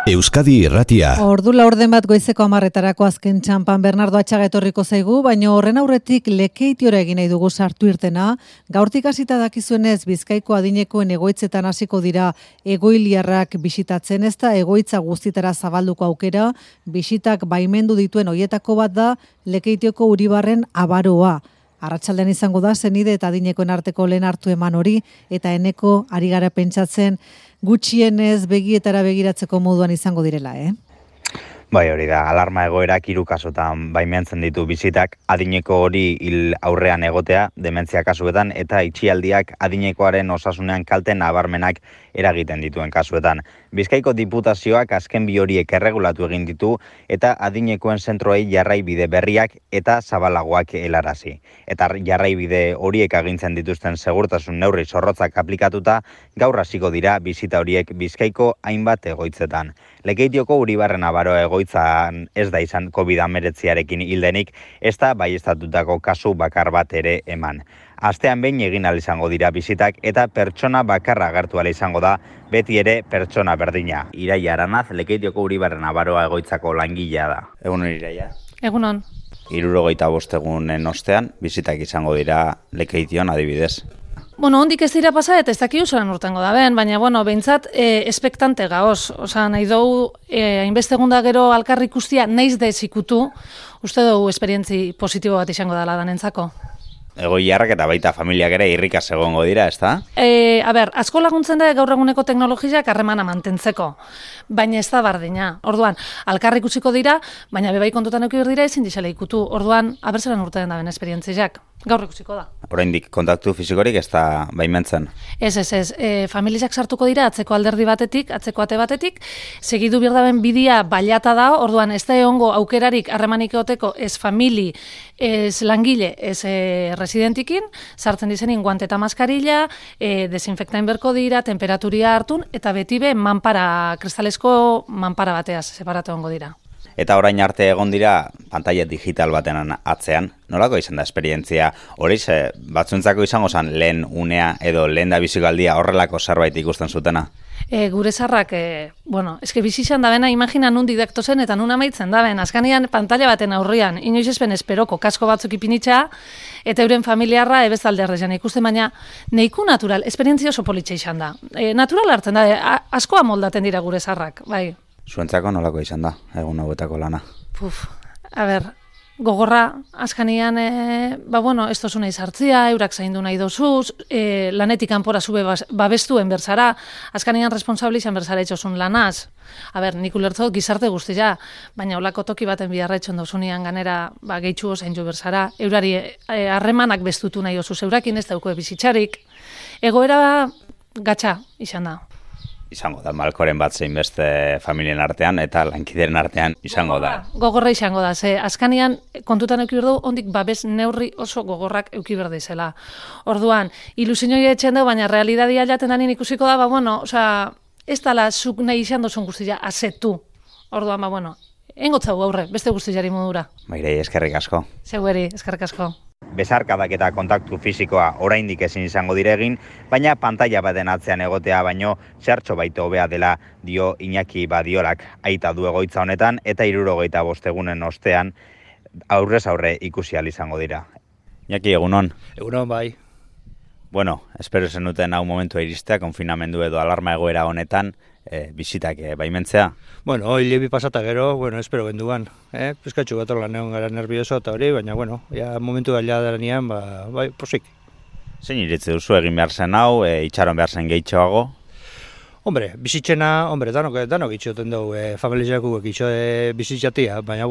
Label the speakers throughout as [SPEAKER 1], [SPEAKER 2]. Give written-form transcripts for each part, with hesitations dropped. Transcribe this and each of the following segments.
[SPEAKER 1] Euskadi Irratia.
[SPEAKER 2] Ordu laurden bat goizeko 10:00 azken txanpan Bernardo Atxaga etorriko zaigu, baina horren aurretik Lekeitiora egin nahi dugu sartu irtena. Gaurtik hasita dakizuenez Bizkaiko adinekoen egoitzetan hasiko dira egoiliarrak bisitatzen, ez da egoitza guztitara zabalduko aukera, bisitak baimendu dituen hoietako bat da Lekeitioko Uribarren Abaroa. Arratsaldean izango da senide eta adinekoen arteko lehen hartu eman hori, eta eneko ari gara pentsatzen gutxienez begietara begiratzeko moduan izango direla,
[SPEAKER 3] Bai, hori da, alarma egoerak 3 kasutan baimentzen ditu bisitak, adineko hori hil aurrean egotea, dementzia kasuetan, eta itxialdiak adinekoaren osasunean kalte nabarmenak eragiten dituen kasuetan. Bizkaiko Diputazioak azken bi horiek erregulatu egin ditu, eta adinekoen zentroei jarraibide berriak eta zabalagoak helarazi. Eta jarraibide horiek agintzen dituzten segurtasun neurri zorrotzak aplikatuta, gaur hasiko dira bisita horiek Bizkaiko hainbat egoitzetan. Lekeitioko Uribarren Abaroa egoitzan ez da izan COVID-19arekin hildenik, ez da baieztatutako kasu bakar bat ere eman. Astean behin egin ahal izango dira bisitak eta pertsona bakarra agertu ahal izango da, beti ere pertsona berdina. Iraia Aranaz, Lekeitioko Uribarren Abaroa egoitzako langilea da. Egunon, Iraia?
[SPEAKER 4] Egunon.
[SPEAKER 3] 65 egunen ostean, bisitak izango dira Lekeition adibidez.
[SPEAKER 4] Hondik ez dira pasa eta ez dakiu zelan urtengo da ben, baina, behintzat, espektante gaoz. Osa, nahi dugu, hainbeste egunda gero alkarri ikustia naiz da ez ikutu, uste dugu esperientzi positibo bat izango dela danentzako.
[SPEAKER 3] Egoiliarrak eta baita familiak ere irrikaz egongo dira, ez da?
[SPEAKER 4] Asko laguntzen da gaur eguneko teknologiak harremana mantentzeko, baina ez da bardina. Orduan, alkarri ikusiko dira, baina bebai kontutan eduki behar dira ezin dixela ikutu. Orduan, abertzelan urtean da ben esperientziak. Gaur ikusiko da.
[SPEAKER 3] Oraindik kontaktu fisikorik ez da baimentzen?
[SPEAKER 4] Ez. Familiak sartuko dira atzeko alderdi batetik, atzeko ate batetik, segidu behar daben bidia bailata da, orduan ez da egongo aukerarik harremanik egoteko ez famili, ez langile, ez residentikin, sartzen dizenin guante eta maskarilla, desinfektain berko dira, temperaturia hartun, eta beti be kristalesko manpara bateaz separatu egongo dira.
[SPEAKER 3] Eta orain arte egon dira pantalla digital baten atzean, nolako izan da esperientzia? Hori batzuntzako izango zen lehen unea edo lehen da bizikaldia horrelako zerbait ikusten zutena?
[SPEAKER 4] Gure zarrak, eske bizizan da bena, imagina nun didakto zen eta nun amaitzen da ben, azkanian pantalla baten aurrian, inoiz ezpen esperoko kasko batzuk ipinitza, eta euren familiarra ebezalde errezian ikusten, baina neiku natural, esperientzia oso politxe izan da. Natural hartzen da, askoa moldaten dira gure zarrak, bai.
[SPEAKER 3] Zuentzako nolako izan da, egun hauetako lana?
[SPEAKER 4] Gogorra, azkanian, ez dozu nahi sartzia, eurak zaindu nahi dozuz, lanetik kanpora zube babestuen berzara, azkanian responsabli izan berzara etxosun lanaz. Nik ulertzot gizarte guztia, baina olako toki baten biharra etxon dozunian ganera gehitxu zaindu berzara, eurari harremanak bestutu nahi dozuz, eurakin ez dauko bizitzarik. Egoera gatsa izan da.
[SPEAKER 3] Izango da, malkoren bat zein beste familien artean eta lankideren artean izango da.
[SPEAKER 4] Gogorra izango da, azkanian kontutan euki berdu, ondik babes neurri oso gogorrak euki berde izela. Orduan, ilusioi etxen da, baina realidadia jaten danin ikusiko da, ez dala zuk nahi izan dozun guztia azetu. Orduan, engotzau gaurre, beste guztiari modura.
[SPEAKER 3] Mairei, eskerrik asko.
[SPEAKER 4] Zeueri, eskerrik asko.
[SPEAKER 3] Besarkadak eta kontaktu fisikoa oraindik ezin izango dire egin, baina pantalla baten atzean egotea baino zertxo baito hobea dela dio Iñaki Badiolak aita du egoitza honetan eta 75 egunen ostean aurrez aurre ikusi ahal izango dira. Iñaki, egunon?
[SPEAKER 5] Egunon, bai.
[SPEAKER 3] Espero zenuten hau momentua iristea, konfinamendu edo alarma egoera honetan, bisitak baimentzea?
[SPEAKER 5] Hilebi pasata gero, espero genduan. Pizkatxu bat orlan egon gara nervioso eta hori, baina, momentu gaila daranean, posik.
[SPEAKER 3] Zein iritzi duzu egin behar zen hau, itxaron behar zen gehitxoago?
[SPEAKER 5] Bizitzena, danok itxoten dugu, familiakuek bizitzatia, baina,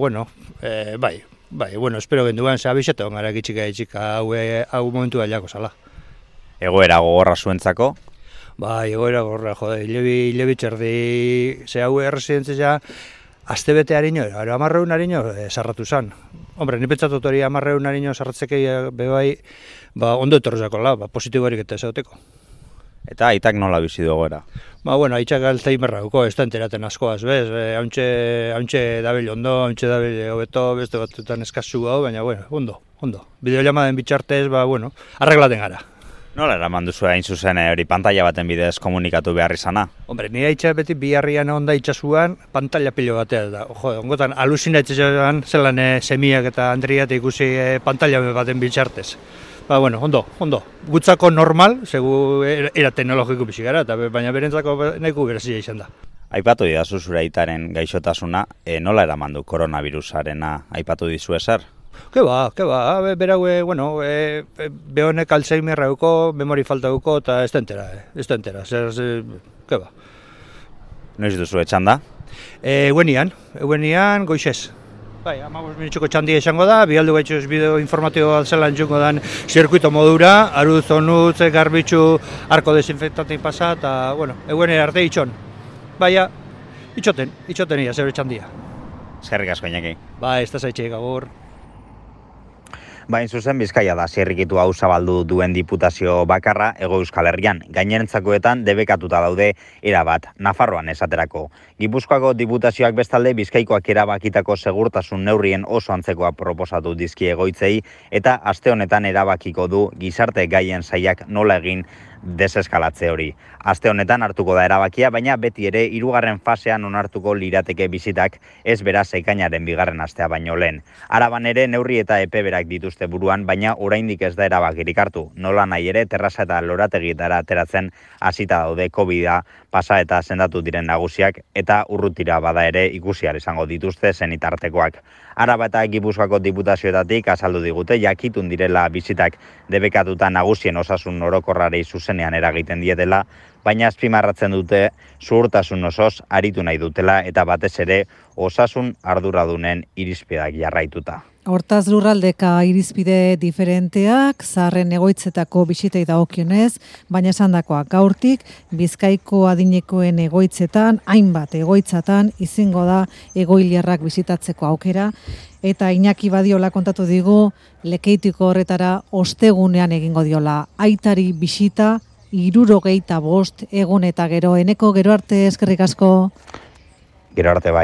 [SPEAKER 5] espero genduan, abixatu gara gitxika hau momentu gailako zala.
[SPEAKER 3] Egoera gogorra zuentzako?
[SPEAKER 5] Egoera gogorra, hilebi txerdi, hau erresidentzia, azte bete harino, 10 harino sarratu zan. Ni pentsatut hori 10 harino sarratzekei bebai, ondo etorrezako positiborik eta ezauteko.
[SPEAKER 3] Eta aitak nola bizi du egoera?
[SPEAKER 5] Aitak Alzheimerra duko, ez da enteraten askoaz, bez? Hauntxe dabil ondo, hauntxe dabil hobeto, beste batzutan eskazu gau, baina, ondo. Bideolamaden bitxartez, arreglaten gara.
[SPEAKER 3] Nola eraman duzu hain zuzen hori pantalla baten bidez komunikatu behar izana?
[SPEAKER 5] Hombre, nire itxa beti biharrian onda itxasuan pantalla pilo batea da. Jo, ongotan alusinatzean zelan semiak eta Andriat ikusi pantalla baten bitxartez. Ba, bueno, ondo. Gutzako normal, segu era teknologiko bizi gara, baina berentzako nahiko berezia izan da.
[SPEAKER 3] Aipatu didazu zure aitaren gaixotasuna, nola eraman du koronavirusarena aipatu dizu ezer?
[SPEAKER 5] Ke ba, berau, behonek Alzheimer hauko, memori falta hauko, eta ez da entera, ke ba.
[SPEAKER 3] Noiz duzu etxan da?
[SPEAKER 5] Eguenian goizez. Bai, 15 minutxoko txandia izango da, bialdu gaitxuz bideo informatiboa zelan txungo dan zirkuito modura, aruz, onutz, garbitxu, arko desinfektantein pasa, eta, eguenera arte itxon. Baina, itxoten ia, zebe txandia.
[SPEAKER 3] Eskerrik asko, Iñaki.
[SPEAKER 5] Bai, ez da zaitxeik agur.
[SPEAKER 3] Bain zuzen Bizkaia da zirrikitu hau zabaldu duen diputazio bakarra Hego Euskal Herrian. Gainerentzakoetan debekatuta daude erabat, Nafarroan esaterako. Gipuzkoako diputazioak bestalde Bizkaikoak erabakitako segurtasun neurrien oso antzekoa proposatu dizkie egoitzei eta aste honetan erabakiko du gizarte gaien sailak nola egin deseskalatze hori. Aste honetan hartuko da erabakia, baina beti ere 3. fasean onartuko lirateke bizitak ez beraz ekainaren 2. astea baino lehen. Araban ere neurri eta epe berak dituzte buruan, baina oraindik ez da erabakirik hartu. Nola nahi ere terraza eta lorategietara ateratzen hasita daude COVID-a pasa eta sendatu diren nagusiak eta urrutira bada ere ikusi ahal izango dituzte senitartekoak. Araba eta Gipuzkoako diputazioetatik azaldu digute jakitun direla bizitak debekatuta nagusien osasun orokorrari zuzenean eragiten dietela, baina azpimarratzen dute zuhurtasun osoz aritu nahi dutela eta batez ere osasun arduradunen irizpideak jarraituta.
[SPEAKER 2] Hortaz lurraldeka irizpide diferenteak, zaharren egoitzetako bisitei dagokionez, baina esandakoak gaurtik, Bizkaiko adinekoen egoitzetan, hainbat egoitzatan, izango da egoiliarrak bisitatzeko aukera, eta Iñaki Badiola kontatu digu, Lekeitiko horretara ostegunean egingo diola. Aitari bisita, 65 egun eta gero, Eneko, gero arte eskerrik asko.
[SPEAKER 3] Gero arte bai.